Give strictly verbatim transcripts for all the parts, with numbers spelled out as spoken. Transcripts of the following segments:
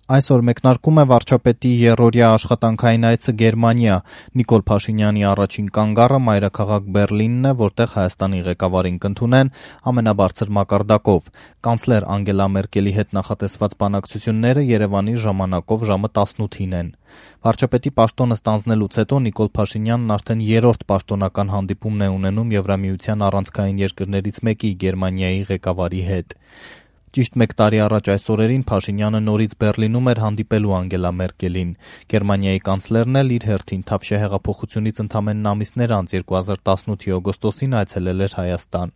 Այսօր մեկնարկում է վարչապետի եռօրյա աշխատանքային այցը Գերմանիա։ Նիկոլ Փաշինյանի առաջին կանգառը մայրաքաղաք Բեռլինն է, որտեղ Հայաստանի ղեկավարին կընդունեն ամենաբարձր մակարդակով։ Կանցլեր Անգելա Մերկելի հետ նախատեսված բանակցությունները Երևանի ժամանակով ժամը տասնութին են։ Վարչապետի պաշտոնը ստանձնելուց հետո Նիկոլ Փաշինյանն արդեն երրորդ պաշտոնական հանդիպումն է ունենում Եվրամիության առանցքային երկրներից մեկի Գերմանիայի ղեկավարի հետ։ Ճիշտ մեկ տարի առաջ այս օրերին Փաշինյանը նորից Բեռլինում էր հանդիպելու Անգելա Մերկելին։ Գերմանիայի կանցլերն էլ իր հերթին Թավշյա հեղափոխությունից ընդամենն ամիսներ անց երկու հազար տասնութի օգոստոսին այցելել էր Հայաստան։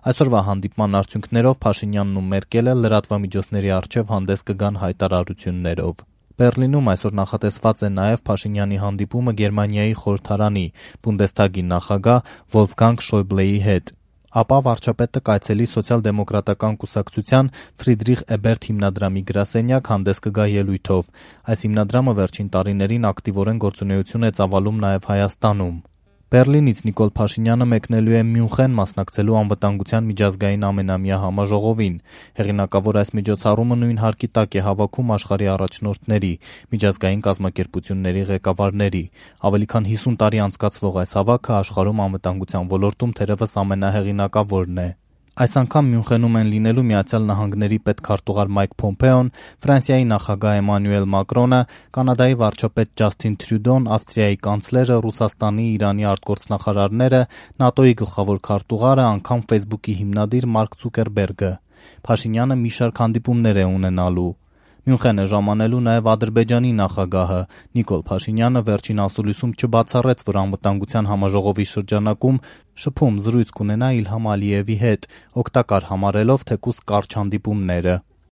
Այսօրվա հանդիպման արդյունքներով Փաշինյանն ու Մերկելը լրատվամիջոցների առջև հանդես կգան հայտարարություններով։ Բեռլինում այսօր նախատեսված է նաև Փաշինյանի հանդիպումը Գերմանիայի խորհրդարանի Բունդեսթագի նախագահ Վոլֆգանգ Շոյբլեի հետ։ Ապա վարչապետը կայցելի Սոցիալ-դեմոկրատական կուսակցության Ֆրիդրիխ Էբերտ հիմնադրամի գրասենյակ հանդես կգա ելույթով։ Այս հիմնադրամը վերջին տարիներին ակտիվորեն գործունեություն է ծավալում նաև Հայաստանում։ Բեռլինից Նիկոլ Փաշինյանը մեկնելու է Մյունխեն մասնակցելու անվտանգության միջազգային ամենամյա համաժողովին։ Հեղինակավոր այս միջոցառումը նույն հարկի տակ է հավաքում աշխարհի առաջնորդների, միջազգային կազմակերպությունների ղեկավարների։ Ավելի քան հիսուն տարի անցկացվող այս հավաքը աշխարհում անվտանգության ոլորտում թերևս ամենահեղինակավորն է։ Այս անգամ Մյունխենում են լինելու Միացյալ Նահանգների պետքարտուղար Մայք Փոմպեոն, Ֆրանսիայի նախագահ Էմանուել Մակրոնը, Կանադայի վարչապետ Ջասթին Թրյուդոն, Ավստրիայի կանցլերը, Ռուսաստանի, Իրանի արտգործնախարարները, ՆԱՏՕ-ի գլխավոր քարտուղարը, անգամ Facebook-ի հիմնադիր Մարկ Ցուկերբերգը։ Փաշինյանը մի շարք հանդիպումներ է ունենալու։ Մյունխեն է ժամանելու նաև Ադրբեջանի նախագահը։ Նիկոլ Փաշինյանը վերջին ասուլիսում չբացառեց, որ անվտանգության համաժողովի շրջանակում շփում զրույց կունենա Իլհամ Ալիևի հետ, օգտակար համարելով թեկուզ կարճ հանդիպումները։